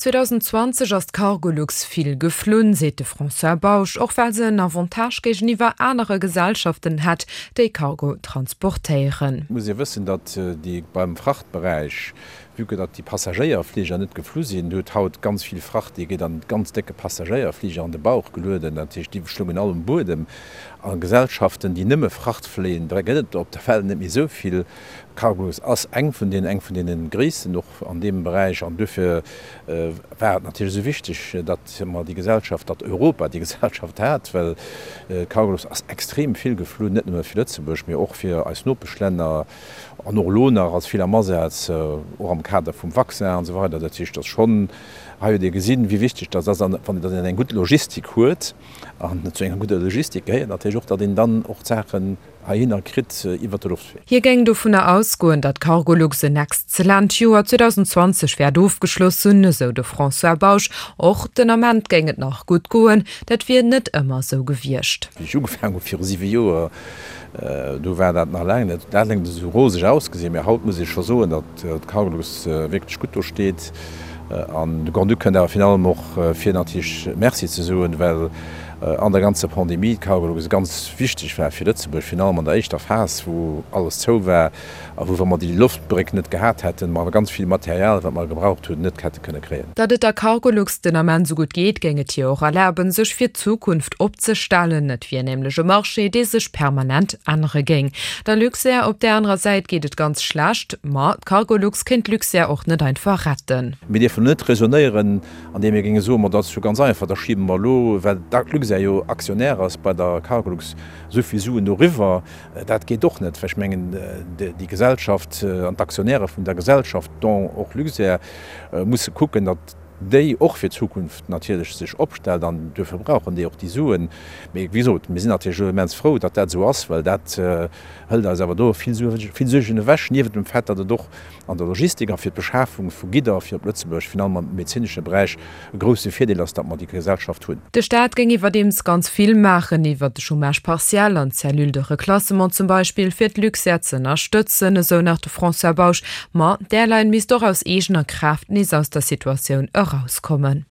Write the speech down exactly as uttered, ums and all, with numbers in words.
zweedausendzwanzeg ass d'Cargolux vill geflunn, seet de François Bausch, och well se en Avantage géigeniwwer anere Gesellschaften hätt, déi Cargo transportéieren. Et muss ee wëssen, datt déi beim Frachtberäich, vue que datt déi Passagéierfliger net geflu sinn, huet haut ganz vill Fracht, déi geet an ganz décke Passagéierfliger an de Bauch gelueden, dat heescht, déi schlungen all um Buedem. A Gesellschaften, déi nëmme Fracht fléien, där gëtt et op der Welt net méi esou vill. Cargolux ass eng vun deenen, eng vun deene gréissten och an deem Beräich. An duerfir war et natierlech esou wichteg, datt mer déi Gesellschaft, datt Europa déi Gesellschaft hat, well Cargolux ass extrem vill geflunn, net nëmme fir Lëtzebuerg, mee och fir eis Nopeschlänner an och elo nach ass vill am Asaz, och am Kader vum Vaccin an esou weider. Dat heescht, datt schonn, hei huet ee gesinn, wéi wichteg datt ass, an wann een eng gutt Logistik huet, an zu enger gudder Logistik gehéiert natierlech och, datt een dann och d'Saachen heihinner kritt iwwert de Loftwee. Hie géing dovunner ausgoen, datt Cargolux en exzellent Joer zweedausendzwanzeg wäert ofgeschloss hunn, esou de François Bausch. Och den Ament géing et nach gutt goen, dat wier net ëmmer esou gewiescht. Wéi ech ugefaangen hu viru siwe Joer, do war dat nach laang net dat net esou roseg ausgesinn, mä haut muss ee scho soen, datt d'Cargolux wierklech gutt do steet. An de Grand-Duc kënnt awer virun allem och fir natierlech Merci ze soen, well an der ganzer Pandemie d'Cargolux ganz wichteg war fir Lëtzebuerg, virun allem an der éischter Phas, wou alles zou war a wou, wa mer déi Loftbréck net gehat hätten, mer ganz vill Material, wat mer gebraucht hunn, net hätte kënne kréien. Datt et der Cargolux den Ament esou gutt geet, géing et hir och erlaben, sech fir d'Zukunft opzestellen. Et wier nämlech e Marché, dee sech permanent ännere géing. Der Luxair op där anerer Säit geet et ganz schlecht, ma d'Cargolux kéint d'Luxair och net einfach retten. Mir dierfen net raisonnéieren, andeem mir géinge soen, ma dat ass jo ganz einfach, da schiebe mer elo, well d'Luxair jo Aktionär ass bei der Cargolux, esou vill Suen doriwwer. Dat geet och net, well ech mengen, déi Gesellschaft an d'Aktionäre vun der Gesellschaft, dont och Luxair, musse kucken, datt déi och fir d'Zukunft natierlech sech opstellt an duerfir brauchen déi och déi Suen. Mee wéi gesot, mir sinn natierlech elo immens frou, datt dat esou ass, well dat hëlt eis awer do vill Suergen ewech, niewent dem Fait, datt et och an der Logistik a fir d'Beschafung vu Gidder fir op Lëtzebuerg, virun allem am medezinesche Beräich, e grousse Virdeel ass, datt mer déi Gesellschaft hunn. De Staat géing iwwerdeems ganz vill maachen, iwwert de Chômage partiel an d'Cellule de reclassement zum Beispill, fir d'Luxair z'ënnerstëtzen, esou nach de François Bausch. Ma d'Airline misst och aus eegener Kraaft nees aus der Situatioun erauskommen.